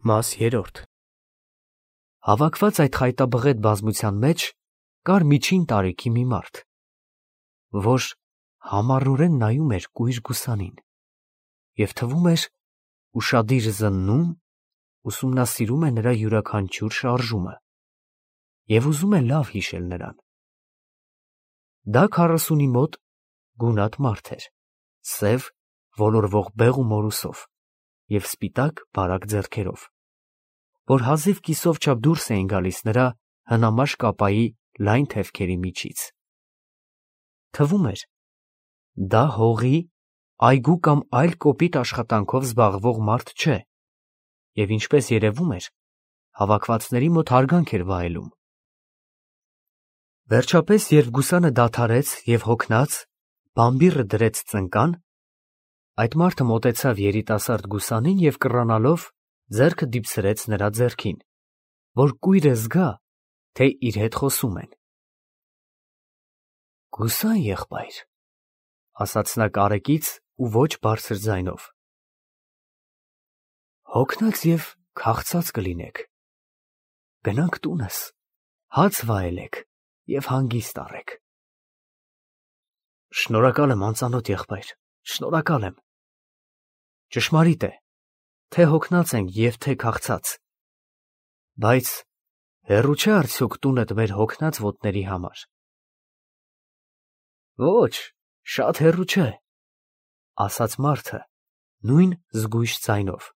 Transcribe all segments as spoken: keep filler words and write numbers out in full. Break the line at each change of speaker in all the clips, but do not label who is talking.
Մաս երրորդ Հավաքված այդ խայտաբղետ բազմության մեջ կար միջին տարիքի մի մարդ, որ համառորեն նայում էր կույր գուսանին և թվում էր ուշադիր զննում, ուսումնասիրում է նրա յուրաքանչյուր շարժումը և ուզում է լավ հիշել նրան։ Դա քառասունի մոտ գունատ մարդ էր, սև, ոլորվող բեղ ու մորուսով և սպիտակ բարակ ձեռքերով, որ հազիվ կիսով չափ դուրս էին գալիս նրա հնամաշ կապայի լայն թևքերի միջից։ Թվում էր, դա հողի, այգու կամ այլ կոպիտ աշխատանքով զբաղվող մարդ չէ և, ինչպես երևում էր, հավաքվածների մոտ հարգանք էր վայելում։ Վերջապես, երբ գուսանը դադարեց և հոգնած, բամբիռը դրեց ծնկան, այդ մարդը մոտեցավ երիտասարդ գուսանին և կռանալով ձեռքը դիպցրեց նրա ձեռքին, որ կույրը զգա, թե իր հետ խոսում են։ «Գուսան եղբայր», ֊ ասաց նա կարեկից ու ոչ բարձր ձայնով, ֊ հոգնած և քաղցած կլինեք, գնանք տունս, հաց վայելեք և հանգիստ առեք։ Շնորհակալ եմ, անծանոթ եղբայր, շնորհակալ եմ։ Ճշմարիտ է, թե հոգնած ենք և թե քաղցած, բայց հեռու չէ արդյոք տունդ մեր հոգնած ոտների համար։ Ոչ, շատ հեռու չէ, ֊ ասաց մարդը նույն զգույշ ձայնով։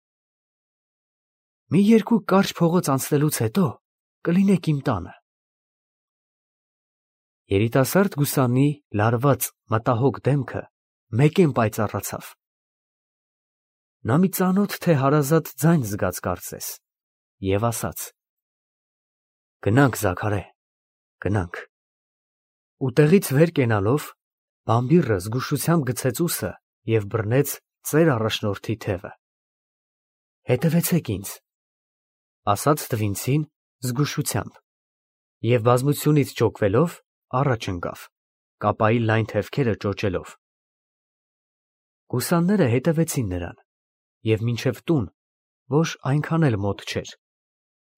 Մի երկու կարճ փողոց անցնելուց հետո կլինեք իմ տանը։ Երիտասարդ գուսանի լարված մտահոգ դեմքը մեկեն պայծառացավ։ Նա մի ծանոթ թե հարազատ ձայն զգաց կարծես և ասաց. «Գնանք, Զաքարե, գնանք»։ Ու տեղից վեր կենալով, բամբիռը զգուշությամբ գցեց ուսը և բռնեց ծեր առաջնորդի թևը։ Հետևեցեք ինձ, ֊ ասաց տվինցին զգուշությամբ և բազմությունից ճոգվելով առաջ ընկավ, կապայի լայն թևքերը ճոճելով։ Գուսանները հետևեցին նրան և մինչև տուն, որ այնքան էլ մոտ չէր,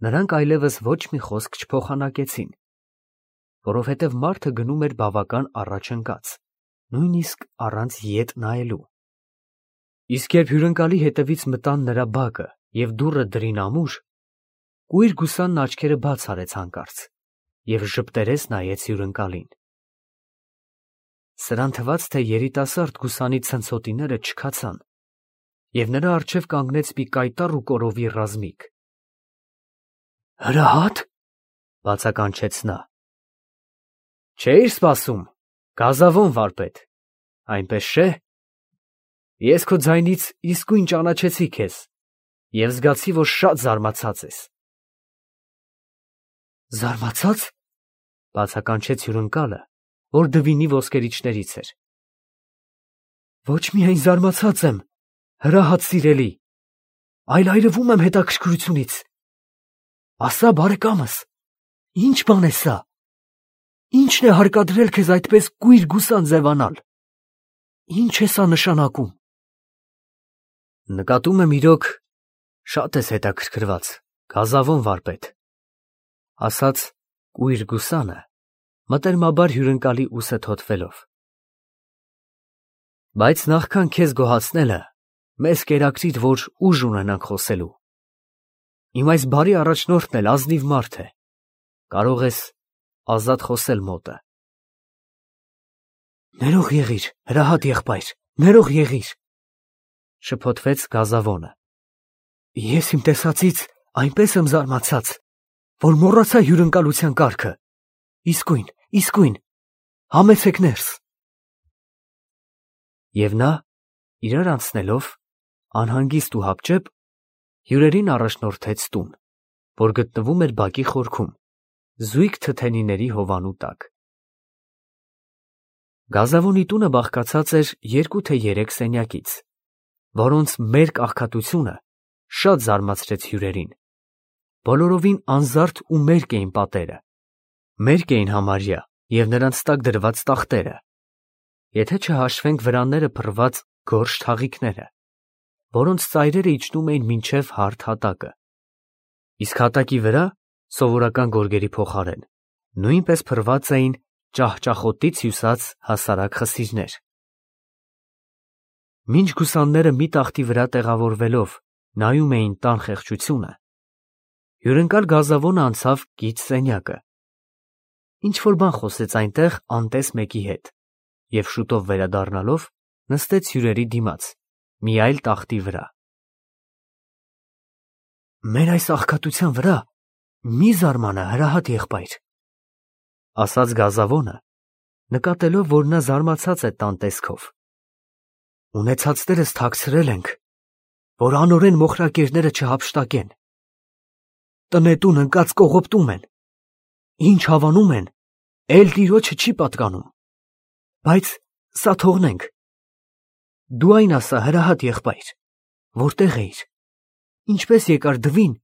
նրանք այլևս ոչ մի խոսք չփոխանակեցին, որովհետև մարդը գնում էր բավական առաջ ընկած, նույնիսկ առանց ետ նայելու։ Իսկ երբ հյուրընկալի հետևից մտան նրա բակը և դուռը դրին ամուր, կույր գուսանն աչքերը բաց արեց հանկարծ և ժպտերես նայեց հյուրընկալին։ Սրան թվաց, թե երիտասարդ գուսանի ցնցոտիները չքացան, և նրա առջև կանգնեց մի կայտառ ու կորովի ռազմիկ։ Հրահա՞տ, ֊ բացականչեց նա։ Չէի՞ր սպասում, գազավոն վարպետ, այնպես չէ։ Ես քո ձայնից իսկույն ճանաչեցի քեզ և զգացի, որ շատ զարմացած ես։ Զարմացա՞ծ, ֊ բացականչեց հյուրընկալը, որ դվինի ոսկերիչներից էր։ Ոչ միայն զարմացած եմ, հրահատ սիրելի, այլ այրվում եմ հետաքրքրությունից։ Ասա, բարեկամս, ի՞նչ բան է սա։ Ի՞նչն է հարկադրել քեզ այդպես կույր գուսան ձևանալ։ Ի՞նչ է սա նշանակում։ Նկատում եմ, իրոք շատ ես հետաքրքրված, գազավոն վարպետ, ֊ ասաց կույր գուսանը, մտերմաբար հյուրընկալի ուսը թոթվելով։ Բայց նախքան քեզ գոհացնելը, մեզ կերակրիր, որ ուժ ունենանք խոսելու։ Իմ այս բարի առաջնորդն էլ ազնիվ մարդ է, կարող ես ազատ խոսել մոտը։ Ներող եղիր, հրահատ եղբայր, ներող եղիր, ֊ շփոթվեց գազավոնը։ Ես իմ տեսածից այնպես եմ զարմացած, որ մոռացա հյուրընկալության կարգը։ Իսկույն, իսկույն, համեցեք ներս։ Եվ նա, իրար անցնելով, անհանգիստ ու հապճեպ, հյուրերին առաջնորդեց տուն, որ գտնվում էր բակի խորքում, զույգ թթենիների հովանու տակ։ Գազավոնի տունը բաղկացած էր երկու թե երեք սենյակից, որոնց մերկ աղքատությունը շատ զարմացրեց հյուրերին։ Բոլորովին անզարդ ու մերկ էին պատերը, մերկ էին համարյա և նրանց տակ դրված տախտերը, եթե չհաշվենք վրանները փռված գորշ թաղիքները, որոնց ծայրերը իջնում էին մինչև հարթ հատակը։ Իսկ հատակի վրա, սովորական գորգերի փոխարեն, նույնպես փռված էին ճահճախոտից հյուսած հասարակ խսիրներ։ Մինչ գուսանները մի տախտի վրա տեղավորվելով նայում էին տան խեղճությունը, հյուրընկալ Գազավոնը անցավ կից սենյակը։ Ինչ-որ բան խոսեց այնտեղ անտես մեկի հետ և շուտով վերադառնալով նստեց հյուրերի դիմաց, մի այլ տախտի վրա։ «Մեր այս աղքատության վրա մի զարմանա, հրահատ եղբայր», ասաց Գազավոնը, նկատելով, որ նա զարմացած է տան տեսքով։ «Ունեցածներս թաքցրել ենք, որ անօրեն մոխրակերները չհափշտակեն։ Տնետուն ընկած կողոպտում են, ինչ հավանում են, էլ տիրոջը չի պատկանում, բայց սա թողնենք։ Դու այն ասա, հրահատ եղբայր, որտեղ էիր, ինչպես եկար դվին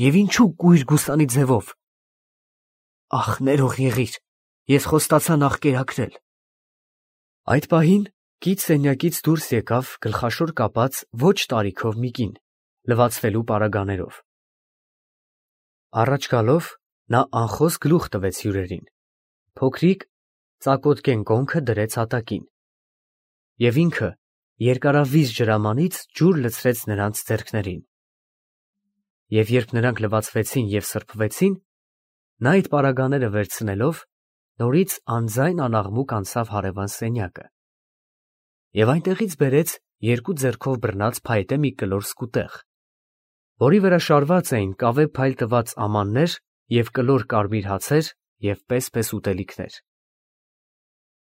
և ինչու կույր գուսանի ձևով։ Ախ, ներող եղիր, ես խոստացա նախ կերակրել»։ Այդ պահին կից սենյակից դուրս եկավ գլխաշոր կապած ոչ տարիքով մի կին, լվացվելու պարագաներով։ Առաջ գալով նա անխոս գլուխ տվեց հյուրերին, փոքրիկ ծակոտկեն կոնքը դրեց հատակին, և ինքը երկարավիզ ջրամանից ջուր լցրեց նրանց ձեռքներին։ Եվ երբ նրանք լվացվեցին և սրբվեցին, նա այդ պարագաները վերցնելով նորից անձայն անաղմուկ անցավ հարևան սենյակը և այնտեղից բերեց երկու ձեռքով բռնած փայտե մի կլոր սկուտեղ, որի վրա շարված էին կավե փայլ տված ամաններ և կլոր կարմիր հացեր և պես-պես ուտելիքներ։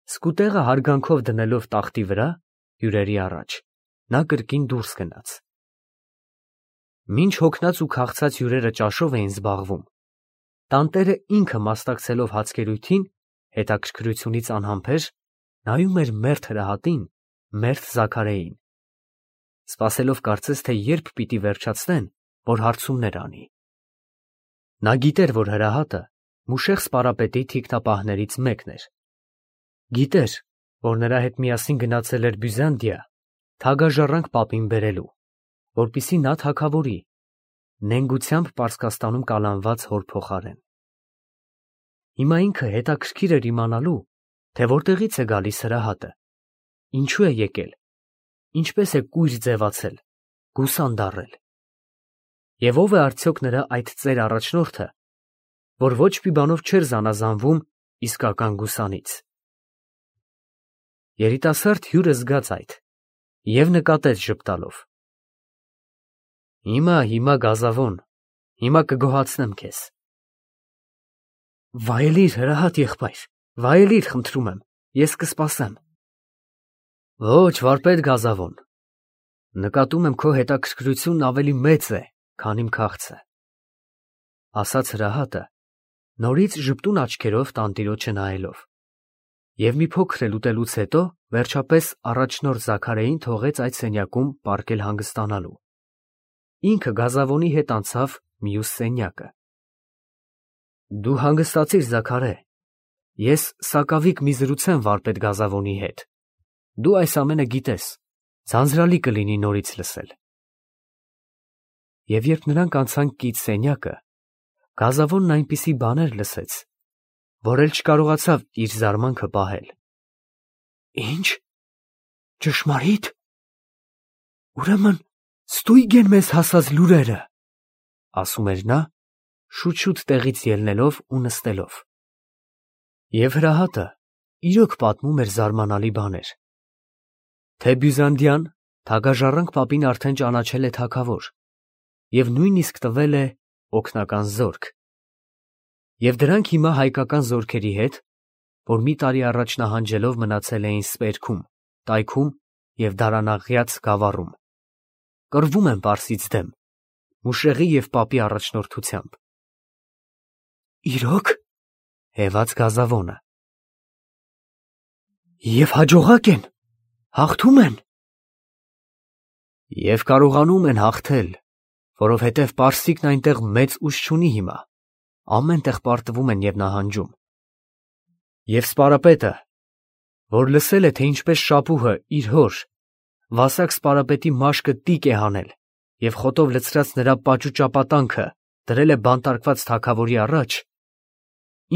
Սկուտեղը հարգանքով դնելով տախտի վրա հյուրերի առաջ, նա կրկին դուրս գնաց։ Մինչ հոգնած ու քաղցած հյուրերը ճաշով էին զբաղվում, տանտերը ինքը մասնակցելով հացկերույթին, հետաքրքրությունից անհամբեր նայում էր մերթ հրահատին, մերթ Զաքարեին, սպասելով կարծես թե երբ պիտի վերջացնեն, որ հարցումներ անի։ Նա գիտեր, որ հրահատը Մուշեղ Սպարապետի թիկնապահներից մեկն էր, գիտեր, որ նրա հետ միասին գնացել էր Բյուզանդիա թագաժառանգ պապին բերելու, որպեսզի նա թագավորի, նենգությամբ Պարսկաստանում կալանված հոր փոխարեն։ Հիմա ինքը հետաքրքիր էր իմանալու, թե որտեղից է գալիս հրահատը, ինչու է եկել, ինչպես է կույր ձևացել, գուսան դառել, և ով է արդյոք նրա այդ ծեր առաջնորդը, որ ոչ մի բանով չէր զանազանվում իսկական գուսանից։ Երիտասարդ հյուրը զգաց այդ և նկատեց ժպտալով. «Հիմա, հիմա, Գազավոն, հիմա կգոհացնեմ քեզ»։ «Վայելիր, հրահատ եղբայր, վայելիր, խնդրում եմ, ես կսպասեմ»։ «Ոչ, վարպետ Գազավոն, նկատում եմ քո հետաքրքրությունն ավելի մեծ է, քան իմ քաղցը», ասաց հրահատը, նորից ժպտուն աչքերով տանտիրոջը նայելով, և մի փոքր էլ ուտելուց հետո վերջապես առաջնորդ Զաքարեին թողեց այդ սենյակում պառկել հանգստանալու։ Ինքը Գազավոնի հետ անցավ մյուս սենյակը։ «Դու հանգստացիր, Զաքարե, ես սակավիկ մի զրուցեմ վարպետ Գազավոնի հետ, դու այս ամենը գիտես, ձանձրալի կլինի նորից լսել»։ Եվ երբ նրանք անցան կից սենյակը, Գազավոնն այնպիսի բաներ լսեց, որ էլ չկարողացավ իր զարմանքը պահել։ «Ի՞նչ, ճշմարի՞տ, ուրեմն ստույգ են մեզ հասած լուրերը», ասում էր նա, շուտ-շուտ տեղից ելնելով ու նստելով։ Եվ հրահատը իրոք պատմում էր զարմանալի բաներ, թե Բյուզանդիան թագաժառանգ պապին արդեն ճանաչել է թագավոր և նույնիսկ տվել է օգնական զորք, և դրանք հիմա հայկական զորքերի հետ, որ մի տարի առաջ նահանջելով մնացել էին Սպերքում, Տայքում և Դարանաղյաց գավառում, կռվում են Պարսից դեմ, Մուշեղի և պապի առաջնորդությամբ։ «Իրո՞ք», հևաց Գազավոնը։ «Եվ հաջողակ են, հաղթում են»։ «Եվ կարողանում են հաղթել, որովհետև պարսիկն այնտեղ մեծ ուժ չունի հիմա, ամեն տեղ պարտվում են և նահանջում։ Եվ Սպարապետը, որ լսել է, թե ինչպես Շապուհը իր հոր, Վասակ Սպարապետի մաշկը տիկ է հանել և խոտով լցրած նրա պաճուճապատանքը դրել է բանտարկված թագավորի առաջ,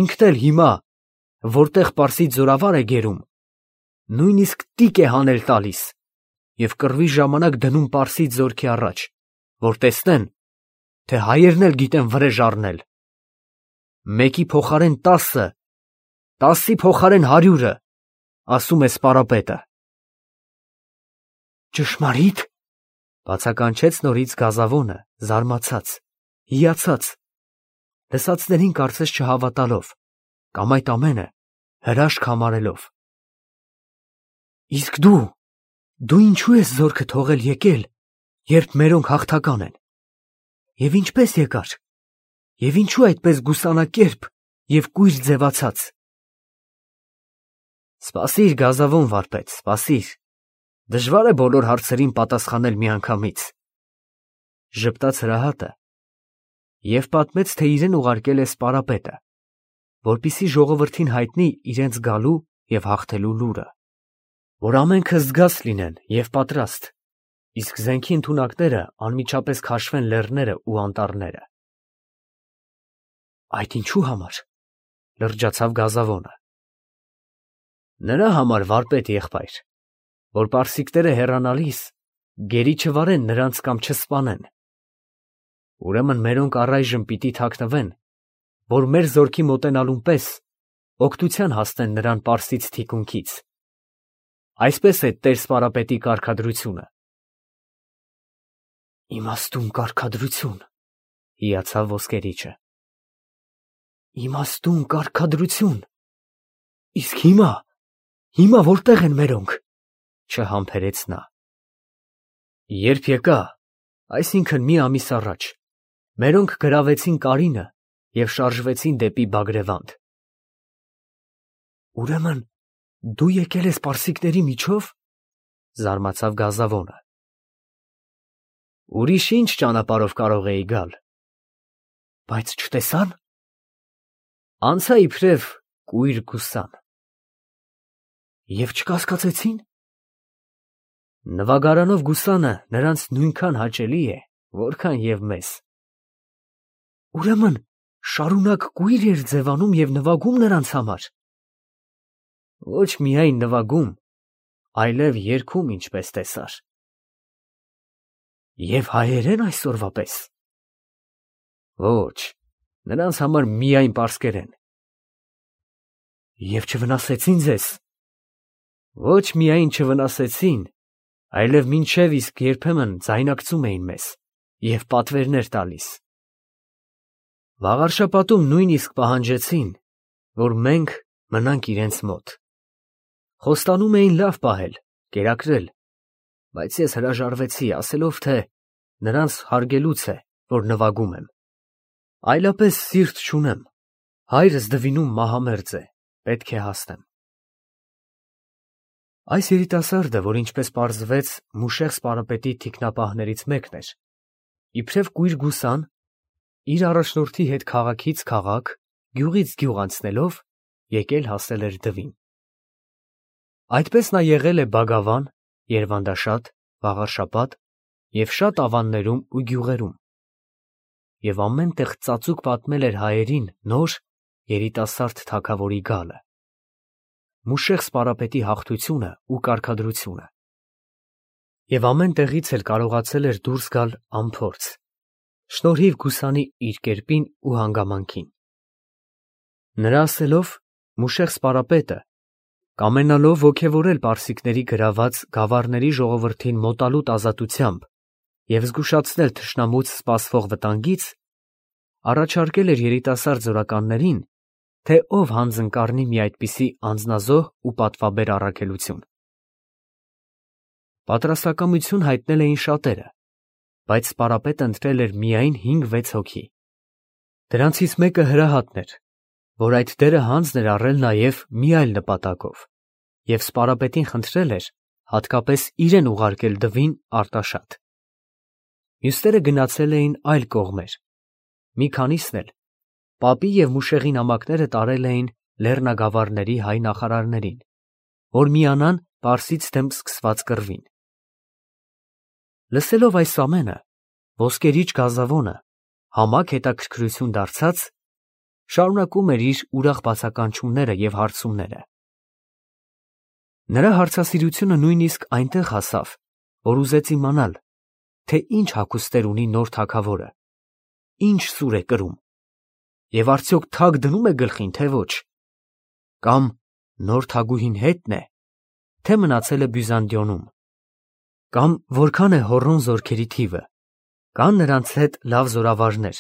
ինքն էլ հիմա, որտեղ պարսից զորավար է գերում, նույնիսկ տիկ է հանել տալիս և կռվի ժամանակ դնում պարսից զորքի առաջ, որ տեսնեն, թե հայերն էլ գիտեն վրեժ առնել։ Մեկի փոխարեն տասը, տասի փոխարեն հարյուրը, ասում է սպարապետը։ Ճշմարի՞տ, բացականչեց նորից Գազավոնը, զարմացած, հիացած, լսածներին կարծես չհավատալով, կամ այդ ամենը հրաշք համարելով։ Իսկ դու, դու ինչու ես զորքը թողել եկել, երբ մերոնք հաղթական են, և ինչպես եկար, և ինչու այդպես գուսանակերպ և կույր ձևացած։ Սպասիր, Գազավոն վարպետ, սպասիր, դժվար է բոլոր հարցերին պատասխանել միանգամից, ժպտաց հրահատը և պատմեց, թե իրեն ուղարկել է սպարապետը, որպեսզի ժողովրդին հայտնի իրենց գալու և հաղթելու լուրը, որ ամենքը զգաց լինեն և պատրաստ, իսկ զենքի ընդունակները անմիջապես քաշվեն լեռները ու անտառները։ Այդ ինչու համար, լրջացավ Գազավոնը։ Նրա համար, վարպետ եղբայր, որ պարսիկները հեռանալիս գերի չվարեն նրանց կամ չսպանեն։ Ուրեմն մերոնք առայժմ պիտի թաքնվեն, որ մեր զորքի մոտենալուն պես օգնության հասնեն նրան պարսից թիկունքից։ Այսպես է տեր սպարապետի կարգադրությունը։ Իմաստուն կարգադրություն, հիացավ ոսկերիչը։ Իմաստուն կարգադրություն, իսկ հիմա, հիմա որտեղ են մերոնք, չհամբերեց նա։ Երբ եկա, այսինքն մի ամիս առաջ, մերոնք գրավեցին Կարինը և շարժվեցին դեպի Բագրևանդ։ Ուրեմն դու եկել ես պարսիկների միջով, զարմացավ Գազավոնը։ Ուրիշ ինչ ճանապարհով կարող էի գալ։ Բայց չտեսա՞ն։ Անցա իբրև կույր գուսան։ Եվ չկասկածեցի՞ն։ Նվագարանով գուսանը նրանց նույնքան հաճելի է, որքան և մեզ։ Ուրեմն շարունակ կույր էր ձևանում և նվագում նրանց համար։ Ոչ միայն նվագում, այլև երգում, ինչպես տեսար։ Եվ հայերեն այսօրվա պես։ Ոչ, նրանց համար միայն պարսկերեն։ Եվ չվնասեցի՞ն ձեզ։ Ոչ միայն չվնասեցին, այլև մինչև իսկ երբեմն ձայնարկծում էին մեզ և պատվերներ տալիս։ Վաղարշապատում նույնիսկ պահանջեցին, որ մենք մնանք իրենց մոտ։ Խոստանում էին լավ պահել, կերակրել, բայց ես հրաժարվեցի, ասելով, թե նրանց հարգելուց է, որ նվագում եմ։ Այլապես սիրտ չունեմ, հայրս դվինում մահամերձ է, պետք է հասնեմ։ Այս երիտասարդը, որ ինչպես պարզվեց Մուշեղ սպարապետի թիկնապահներից մեկն էր, իբրև կույր գուսան, իր առաջնորդի հետ քաղաքից քաղաք, գյուղից գյուղ անցնելով, եկել հասել էր դվին։ Այդպես նա եղել է Բագավան, Երվանդաշատ, Վաղարշապատ և շատ ավաններում ու գյուղերում, և ամեն տեղ ծածուկ պատմել էր հայերին նոր, երիտասարդ թագավորի գալը, Մուշեղ սպարապետի հաղթությունը ու կարգադրությունը, և ամեն տեղից էլ կարողացել էր դուրս գալ անփորձ, շնորհիվ գուսանի իր կերպին ու հանգամանքին։ Նրա ասելով, Մուշեղ սպարապետը, կամենալով ոգևորել պարսիկների գրաված գավառների ժողովրդին մոտալուտ ազատությամբ և զգուշացնել թշնամուց սպասվող վտանգից, առաջարկել էր երիտասարդ զորականներին, թե ով հանձն կառնի մի այդպիսի անձնազոհ ու պատվաբեր առաքելություն։ Պատրաստակամություն հայտնել էին շատերը, բայց սպարապետը ընտրել էր միայն հինգ֊վեց հոգի։ Դրանցից մեկը հրահատն էր, որ այդ դերը հանձն էր առել նաև մի այլ նպատակով, և սպարապետին խնդրել էր հատկապես իրեն ուղարկել դվին Արտաշատ։ Մյուսները գնացել էին այլ կողմեր, մի քանիսն էլ պապի և Մուշեղի նամակները տարել էին լեռնագավառների հայ նախարարներին, որ միանան պարսից դեմ սկսված կռվին։ Լսելով այս ամենը, ոսկերիչ Գազավոնը համակ հետաքրքրություն դարձած, շարունակում էր իր ուրախ բացականչումները և հարցումները։ Նրա հարցասիրությունը նույնիսկ այնտեղ հասավ, որ ուզեց իմանալ, թե ինչ հագուստներ ունի նոր թագավորը, ինչ սուր է կրում, և արդյոք թագ դնում է գլխին, թե ոչ, կամ նոր թագուհին հետն է, թե մնացել է Բյուզանդիոնում, կամ որքան է հոռոն զորքերի թիվը, կան նրանց հետ լավ զորավարներ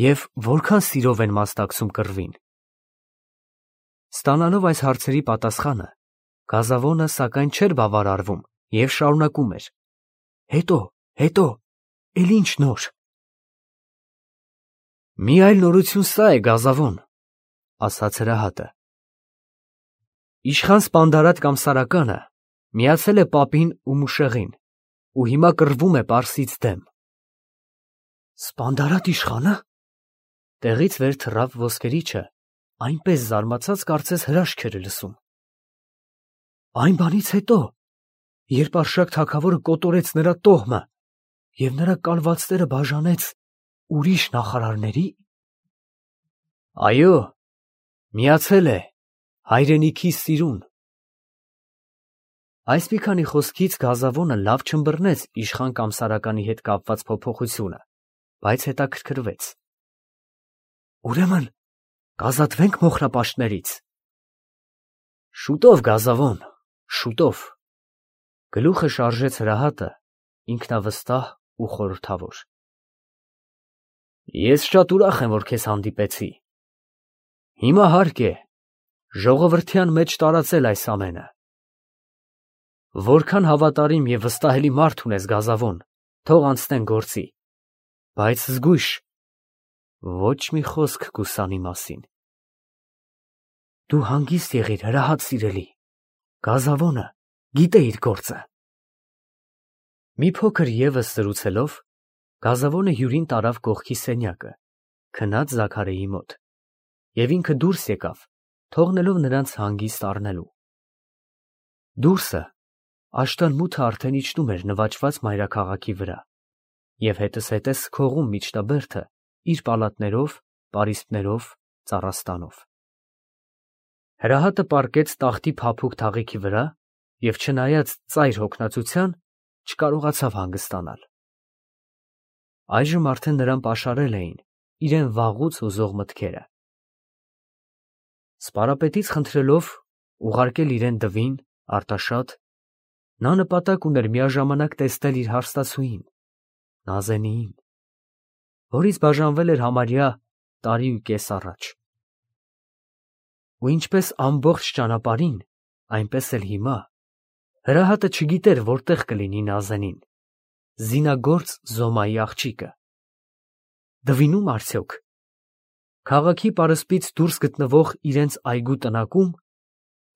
և որքան սիրով են մասնակցում կռվին։ Ստանալով այս հարցերի պատասխանը, Գազավոնը սակայն չէր բավարարվում և շարունակում էր. Հետո, հետո, էլ ինչ նոր։ Մի այլ նորություն սա է, Գազավոն, ասաց հրահատը. Իշխան Սպանդարատ կամ Սարականը միացել է պապին ու Մուշեղին ու հիմա կռվում է պարսից դեմ։ Սպանդարատ իշխա՞նը։ Տեղից վեր թռավ ոսկերիչը, այնպես զարմացած, կարծես հրաշք էր լսում։ Այն բանից հետո, երբ Արշակ թագավորը կոտորեց նրա տոհմը և նրա կալվածները բաժանեց ուրիշ նախարարների։ Այո, միացել է հայրենիքի սիրուն։ Այս մի քանի խոսքից Գազավոնը լավ չըմբռնեց իշխան կամ Սարականի հետ կապված փոփոխությունը, բայց հետաքրքրվեց։ Ուրեմն կազատվե՞նք մոխրապաշտներից։ Շուտով, Գազավոն, շուտով, գլուխը շարժեց հրահատը, ինքնավստահ ու խորհրդավոր։ Ես շատ ուրախ եմ, որ քեզ հանդիպեցի։ Հիմա հարկ է ժողովրդյան մեջ տարածել այս ամենը։ Որքան հավատարիմ և վստահելի մարդ ունես, Գազավոն, թող անցնեն գործի, բայց զգույշ, ոչ մի խոսք գուսանի մասին։ Դու հանգիստ եղիր, հրահատ սիրելի, Գազավոնը գիտե իր գործը։ Մի փոքր ևս զրուցելով, Գազավոնը հյուրին տարավ կողքի սենյակը, քնած Զաքարիի մոտ, և ինքը դուրս եկավ, թողնելով նրանց հանգիստ առնելու։ Դուրսը աշտարմութը արդեն իջնում էր նվաճված մայրաքաղաքի վրա, և հետզհետե քողում միջնաբերդը իր պալատներով, պարիսպներով, ծառաստանով։ Հրահատը պառկեց տախտի փափուկ թաղիքի վրա և չնայած ծայր հոգնածության, չկարողացավ հանգստանալ։ Այժմ արդեն նրան պաշարել էին իրան վաղուց հուզող մտքերը։ Սպարապետից խնդրելով ուղարկել իրան Դվին, Արտաշատ, նա նպատակ ուներ միաժամանակ տեսնել իր հարստացուհին, Նազենիին, որից բաժանվել էր համարյա տարի ու կես առաջ։ Ու ինչպես ամբողջ ճանապարհին, այնպես էլ հիմա, հրահատը չգիտեր որտեղ կլինի Նազենին, զինագործ Զոմայի աղջիկը։ Դվինում արդյոք, քաղաքի պարսպից դուրս գտնվող իրենց այգու տնակու՞մ,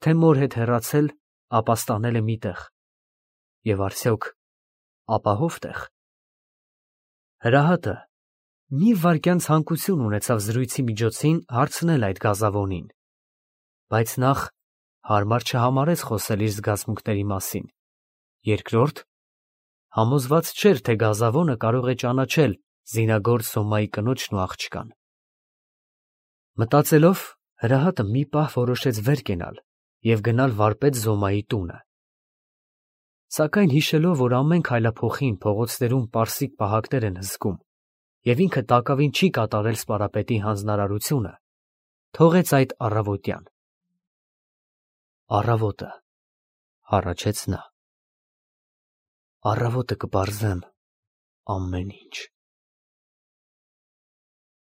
թե մոր հետ հեռացել, ապաստանել է մի տեղ, և արդյոք ապահով տեղ։ Հրահատը մի վայրկյան ցանկություն ունեցավ զրույցի միջոցին հարցնել այդ Գազավոնին, բայց նախ հարմար չհամարեց խոսել իր զգացմունքների մասին, երկրորդ, համոզված չէր, թե Գազավոնը կարող է ճանաչել զինագործ Զոմայի կնոջն ու աղջկան։ Մտածելով, հրահատը մի պահ որոշեց վեր կենալ և գնալ վարպետ Զոմայի տունը։ Սակայն հիշելով, որ ամեն քայլափոխին փողոցներում պարսիկ պահակներ են հսկում, և ինքը տակավին չի կատարել սպարապետի հանձնարարությունը, թողեց այդ առավոտյան։ Առավոտը, հառաչեց նա, առավոտը կպարզեմ ամեն ինչ։